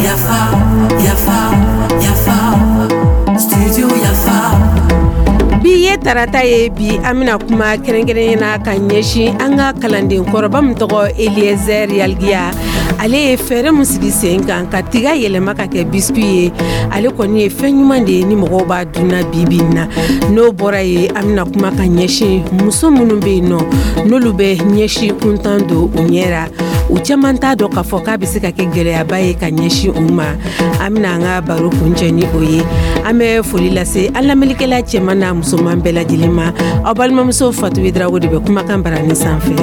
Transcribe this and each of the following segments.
Yafa, yafa, yafa, studio Yafa. Bi ye tarata ye. Bi an bɛna kuma kɛrɛnkɛrɛnnen na ka ɲɛsin an ka kalanden kɔrɔba min tɔgɔ Eliezer Yalgiya. Ale ye fɛɛrɛ min sigi sen kan ka tiga yɛlɛma ka kɛ biscuit ye, ale kɔni ye fɛn ɲuman de ye ni mɔgɔw b'a dunna bi bi in na. N'o bɔra ye, an bɛna kuma ka ɲɛsin muso minnu bɛ yen nɔ, n'olu bɛ ɲɛsin kuntan don u ɲɛ ra. U caman t'a dɔn k'a fɔ k'a bɛ se ka kɛ gɛlɛyaba ye ka ɲɛsin u ma. An bɛna an ka baro kuncɛ ni o ye. An bɛ foli lase an lamɛnnikɛla cɛman n'a musoman bɛɛ lajɛlen ma. Aw balimamuso Fatu Drago de bɛ kumakan barani sanfɛ.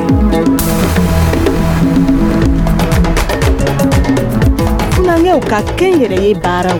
Funankɛw ka kɛnyɛrɛye baaraw.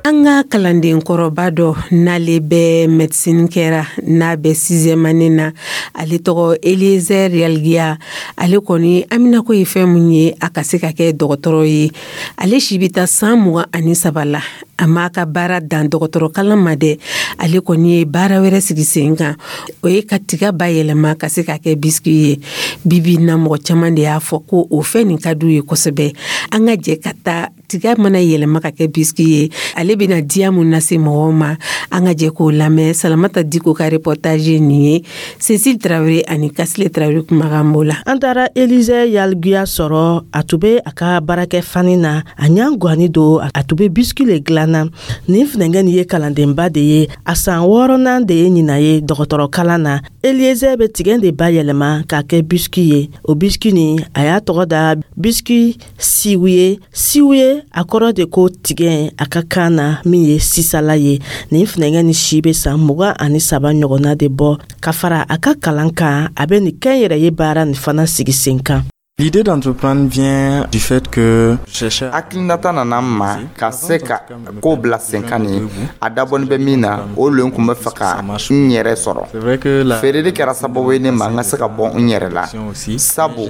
An ka kalanden kɔrɔba dɔ, n'ale bɛ médecine kɛra, n'a bɛ sixième année na, ale tɔgɔ Eliezer Yalgiya. Ale kɔni haminako ye fɛn mun ye, a ka se ka kɛ dɔgɔtɔrɔ ye. Ale si bɛ taa san 23 la. A m'a ka baara dan dɔgɔtɔrɔ kalan ma dɛ, ale kɔni ye baara wɛrɛ sigi sen kan, o ye ka tiga bayɛlɛma ka se ka kɛ biscuit ye. Bibi na, mɔgɔ caman de y'a fɔ ko o fɛn nin ka d'u ye kosɛbɛ. An ka jɛ ka taa, tiga mana yɛlɛma ka kɛ biscuit ye, ale bɛna diya mun lase mɔgɔw ma, an ka jɛ k'o lamɛn. Salamata Diko ka reportage ye nin ye. Cécile Traoré ani Kasile Traoré kumakan b'o la. An taara Elize Yaliguya sɔrɔ. A tun bɛ a ka baarakɛ fani na, a ɲa ganni don, a tun bɛ biscuit le dilanna. Nin funɛnkɛ nin ye kalandenba de ye, a san wɔɔrɔnan de ye ɲinan ye dɔgɔtɔrɔ kalan na. Elieze bɛ tigɛ de bayɛlɛma k'a kɛ biscuit ye. O biscuit nin, a y'a tɔgɔ da biscuit siwuye. Siwuye, a kɔrɔ de ko tigɛ a ka kan na, min ye sisala ye. Nin funɛnkɛ ni si bɛ san 23 ɲɔgɔnna de bɔ. Ka fara a ka kalan kan, a bɛ nin kɛnyɛrɛye baara nin fana sigi sen kan. L'idée d'entreprendre vient du fait que je cherchais Hakilinata nana n ma ka se ka ko bila sen kan nin, a dabɔni bɛ min na, o len kun bɛ fɛ ka n yɛrɛ sɔrɔ. C'est vrai que la Feereli kɛra sababu ye ne ma n ka se ka bɔ n yɛrɛ la, sabu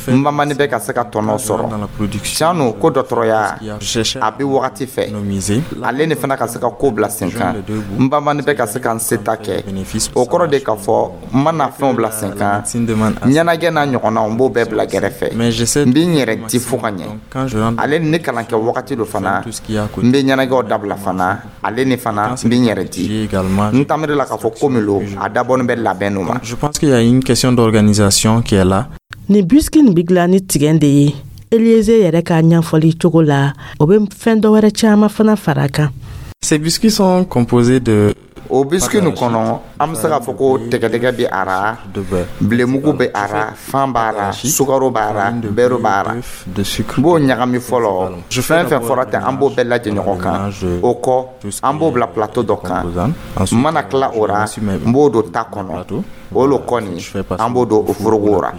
n banbani bɛ ka se ka tɔnɔ sɔrɔ. Tiɲɛ no ko dɔgɔtɔrɔya a bɛ wagati fɛ, ale ni fana ka se ka ko bila sen kan. N banbani bɛ ka se ka n seta kɛ, o kɔrɔ de k'a fɔ n mana fɛnw bila sen kan, ɲɛnajɛ n'a ɲɔgɔnnaw, n b'o bɛɛ bila gɛrɛfɛ. N bɛ n yɛrɛ di fo ka ɲɛ. Ale ni ne kalan kɛ wagati do fana, n bɛ ɲɛnajɛw dabila fana, ale ni fana n bɛ n yɛrɛ di. N tamiri la k'a fɔ ko min lo, a dabɔni bɛ labɛn no ma. Je pense qu'il y a une question d'organisation qui est là. Nin biscuit nin bɛ dilan ni tigɛ de ye. Elieze yɛrɛ ka ɲɛfɔli cogo la, o bɛ fɛn dɔ wɛrɛ caman fana fara a kan. Ces biscuits sont composés de O biscuit nin kɔnɔ, an bɛ se k'a fɔ ko tɛgɛdɛgɛ bɛ a ra, bilenmugu bɛ a ra, fan b'a ra, sukaro b'a ra, beurre b'a ra. N b'o ɲagami fɔlɔ. Fɛn fɛn fɔra ten, an b'o bɛɛ lajɛ ɲɔgɔn kan. O kɔ, an b'o bila plateau dɔ kan. N mana tila o ra, n b'o don ta kɔnɔ. O lo kɔni, an b'o don o forogo ra.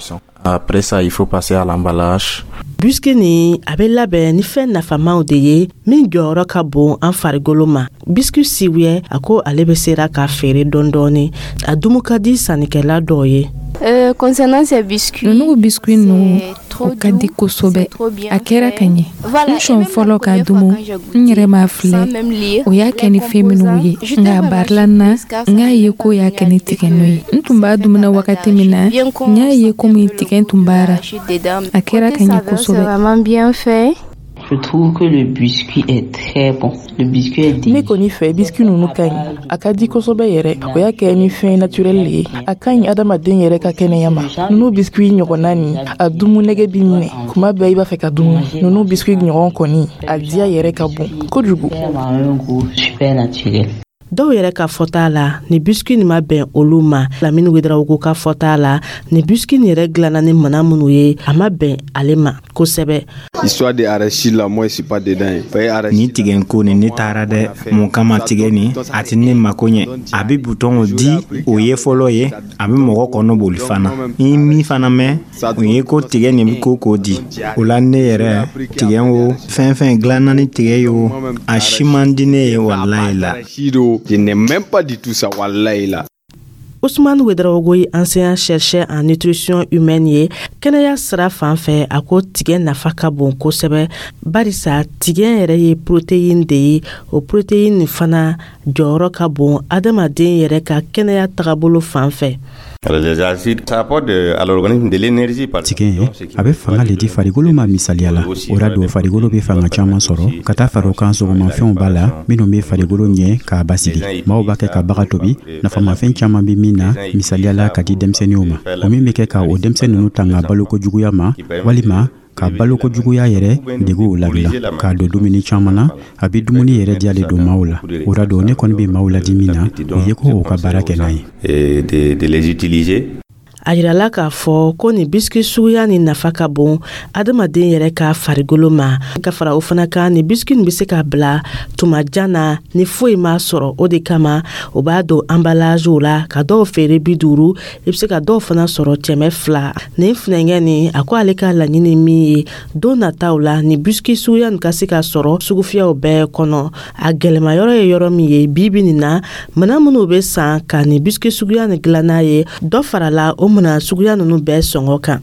Après ça, il faut passer à l'emballage. Biscuit nin, a bɛ labɛn ni fɛn nafamaw de ye min jɔyɔrɔ ka bon an farikolo ma. Biscuit siwuyɛ, a ko ale bɛ sera k'a feere dɔɔni dɔɔni, a dumu ka di sannikɛla dɔw ye. Concernant ces biscuits, Ninnu biscuit ninnu, o ka di kosɛbɛ, a kɛra ka ɲɛ. N sɔn fɔlɔ k'a dumu, n yɛrɛ m'a filɛ o y'a kɛ ni fɛn minnu ye, nka a barila n na, n y'a ye ko y'a kɛ ni tigɛnɔ ye. N tun b'a dumuna wagati min na, n y'a ye komi tigɛ tun b'a ra. A kɛra ka ɲɛ kosɛbɛ. Vraiment bien fait. Je trouve que le biscuit est très bon. Le biscuit est Ne kɔni fɛ, biscuit ninnu ka ɲi, a ka di kosɛbɛ yɛrɛ. O y'a kɛ ni fɛn naturel le ye, a ka ɲi adamaden yɛrɛ ka kɛnɛya ma. Ninnu biscuit ɲɔgɔnna nin, a dumu nɛgɛ b'i minɛ kuma bɛɛ, i b'a fɛ ka dumu. Ninnu biscuit ɲɔgɔn kɔni, a diya yɛrɛ ka bon kojugu. Un goût super naturel. Dɔw yɛrɛ ka fɔta la, ni biscuit nin ma bɛn olu ma. Lamini Wedarawogo ka fɔta la, ni biscuit nin yɛrɛ dilanna ni mana minnu ye, a ma bɛn ale ma kosɛbɛ. Histoire de arachide là, moi je suis pas dedans. Ni tigɛ ko nin, ne taara dɛ. Mun kama tigɛ nin, a tɛ ne mako ɲɛ. A bɛ butɔnw di, o ye fɔlɔ ye, a bɛ mɔgɔ kɔnɔ boli fana. Ni min fana mɛn, o ye ko tigɛ nin bɛ ko k'o di o la. Ne yɛrɛ, tigɛ o fɛn fɛn dilanna ni tigɛ ye, o a si man di ne ye, walayi la. Je n'aime même pas du tout ça, wallahi là. Ousmane Ouedraogo ye enseignant chercheur en nutrition humaine ye. Kɛnɛya sira fan fɛ, a ko tigɛ nafa ka bon kosɛbɛ, barisa tigɛ yɛrɛ ye protéine de ye. O protéine fana jɔyɔrɔ ka bon adamaden yɛrɛ ka kɛnɛya tagabolo fan fɛ. Tigɛ a bɛ fanga le di farikolo ma misaliya la. O ra don farikolo bɛ fanga caman sɔrɔ ka taa fara o kan. Sogomafɛnw b'a la minnu bɛ farikolo ɲɛ k'a basigi. Maaw b'a kɛ ka baga tobi nafamafɛn caman bɛ min na, misaliya la ka di denmisɛnninw ma, o min bɛ kɛ ka o denmisɛn ninnu tanga baloko juguya ma, walima ka baloko juguya yɛrɛ deguw ladilan k'a don dumuni caman na. A bɛ dumuni yɛrɛ diya le don maaw la. O ra don ne kɔni bɛ maaw ladi min na, o ye ko o ka baara kɛ n'a ye. A yirala k'a fɔ ko nin biscuit suguya nin nafa ka bon adamaden yɛrɛ ka farikolo ma. Ka fara o fana kan, nin biscuit nin bɛ se ka bila tuma jan na ni foyi m'a sɔrɔ. O de kama o b'a don emballagew la ka dɔw feere 50, i bɛ se ka dɔw fana sɔrɔ 200. Nin funɛnkɛ nin, a ko ale ka laɲini min ye, don nataw la nin biscuit suguya nin ka se ka sɔrɔ sugufiyɛw bɛɛ kɔnɔ. A gɛlɛma yɔrɔ ye yɔrɔ min ye bi bi nin na, minɛn minnu bɛ san ka nin biscuit suguya nin dilan n'a ye, dɔ farala o minɛn suguya ninnu bɛɛ sɔngɔ kan.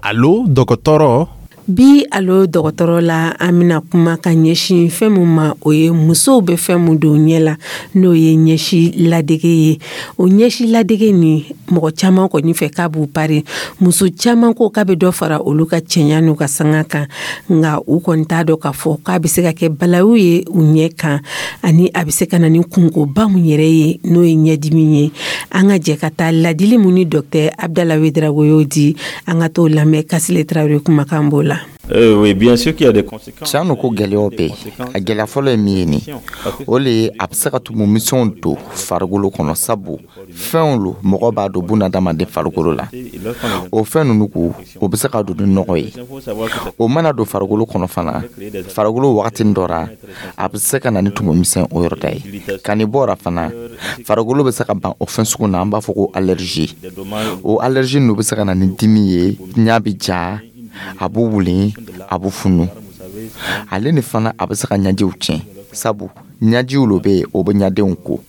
Alo dɔgɔtɔrɔ. Bi Alo dɔgɔtɔrɔ la, an bɛna kuma ka ɲɛsin fɛn min ma, o ye musow bɛ fɛn min don ɲɛ la, n'o ye ɲɛsi ladege ye. O ɲɛsi ladege nin, mɔgɔ caman kɔni fɛ k'a b'u pari. Muso caman ko k'a bɛ dɔ fara olu ka cɛɲa n'u ka sanga kan, nka u kɔni t'a dɔn k'a fɔ k'a bɛ se ka kɛ balawu ye u ɲɛ kan, ani a bɛ se ka na ni kunkoba mun yɛrɛ ye, n'o ye ɲɛdimi ye. An ka jɛ ka taa ladili mun ni docteur Abdala Ouédraogo y'o di, an ka t'o lamɛn. Kasile Tarawele kumakan b'o la. Oui, bien sûr qu'il y a des conséquences. Tiɲɛ don ko gɛlɛyaw bɛ yen. A gɛlɛya fɔlɔ ye min ye nin, o le ye a bɛ se ka tumu misɛnw don farikolo kɔnɔ, sabu fɛnw lo mɔgɔ b'a don bunadamaden farikolo la. O fɛn ninnu ko o bɛ se ka don ni nɔgɔ ye. O mana don farikolo kɔnɔ fana, farikolo wagatinin dɔ ra, a bɛ se ka na ni tumu misɛn o yɔrɔ da ye. Ka nin bɔ o ra fana, farikolo bɛ se ka ban o fɛn sugu na, an b'a fɔ ko allergie. O allergie ninnu bɛ se ka na ni dimi ye, ɲa bɛ ja, a b'u wuli, a b'u funu. Ale ni fana a bɛ se ka ɲajiw tiɲɛ, sabu ɲajiw lo bɛ yen, o bɛ ɲadenw ko.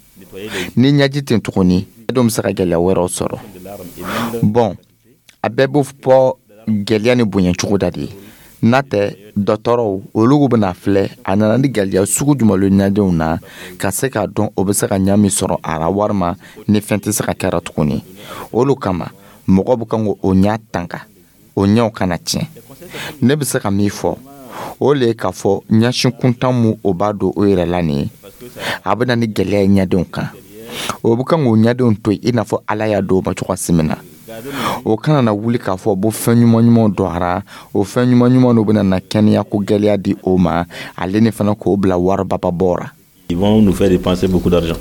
Ni ɲaji tɛ tuguni, ɲadenw bɛ se ka gɛlɛya wɛrɛw sɔrɔ. Bɔn, a bɛɛ bɛ bɔ gɛlɛya ni bonya cogo da de ye. N'a tɛ dɔgɔtɔrɔw olu bɛna filɛ a nana ni gɛlɛya sugu jumɛn lo ɲadenw na, ka se k'a dɔn o bɛ se ka ɲa min sɔrɔ a ra, walima ni fɛn tɛ se ka kɛra tuguni. Olu kama mɔgɔ bɛ kan k'o ɲa tanga, o ɲɛw kana tiɲɛ. Ne bɛ se ka min fɔ, o le ye k'a fɔ ɲɛsin kuntan mun o b'a don o yɛrɛ la nin ye, a bɛ na ni gɛlɛya ye ɲɛdenw kan. O bɛ kan k'o ɲɛdenw to yen i n'a fɔ Ala y'a don o ma cogoya min na. O kana na wuli k'a fɔ bo fɛn ɲuman ɲumanw don a ra, o fɛn ɲuman ɲuman dɔ bɛna na kɛnɛya ko gɛlɛya di o ma, ale ni fana k'o bila waribaba bɔ ra. Ils vont nous faire dépenser beaucoup d'argent.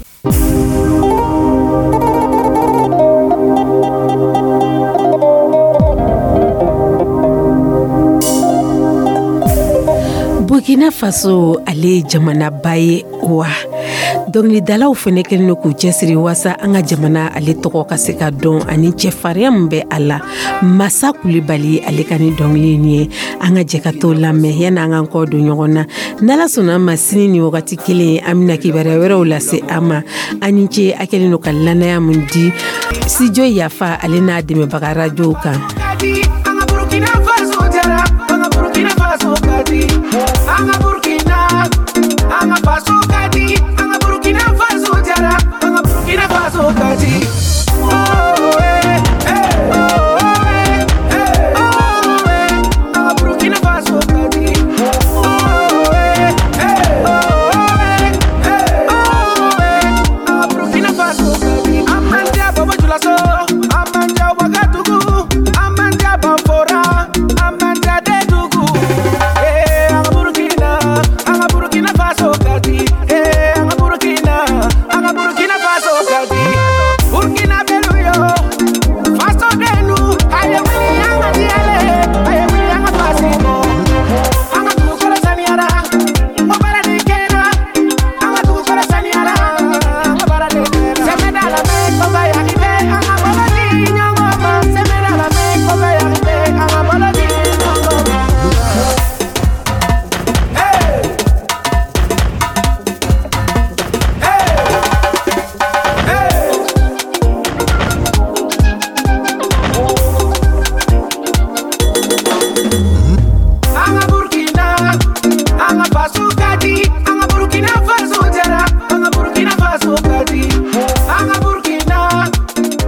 Burkina Faso, ale ye jamanaba ye wa dɔnkilidalaw fɛnɛ kɛlen don k'u cɛsiri waasa an ka jamana ale tɔgɔ ka se ka dɔn ani cɛfarinya min bɛ a la. Masa Kulibali ale ka ni dɔnkili nin ye, an ka jɛ ka t'o lamɛn yanni an k'an kɔ don ɲɔgɔn na. N'Ala sɔnna ma, sini ni wagati kelen, an bɛna kibaruya wɛrɛw lase an ma. An ni ce a kɛlen don ka lanaya mun di Studio Yafa ale n'a dɛmɛbaga radiow kan. An ka Burkina Faso jara, an ka Burkina Faso ka di, an ka Burkina, an ka faso.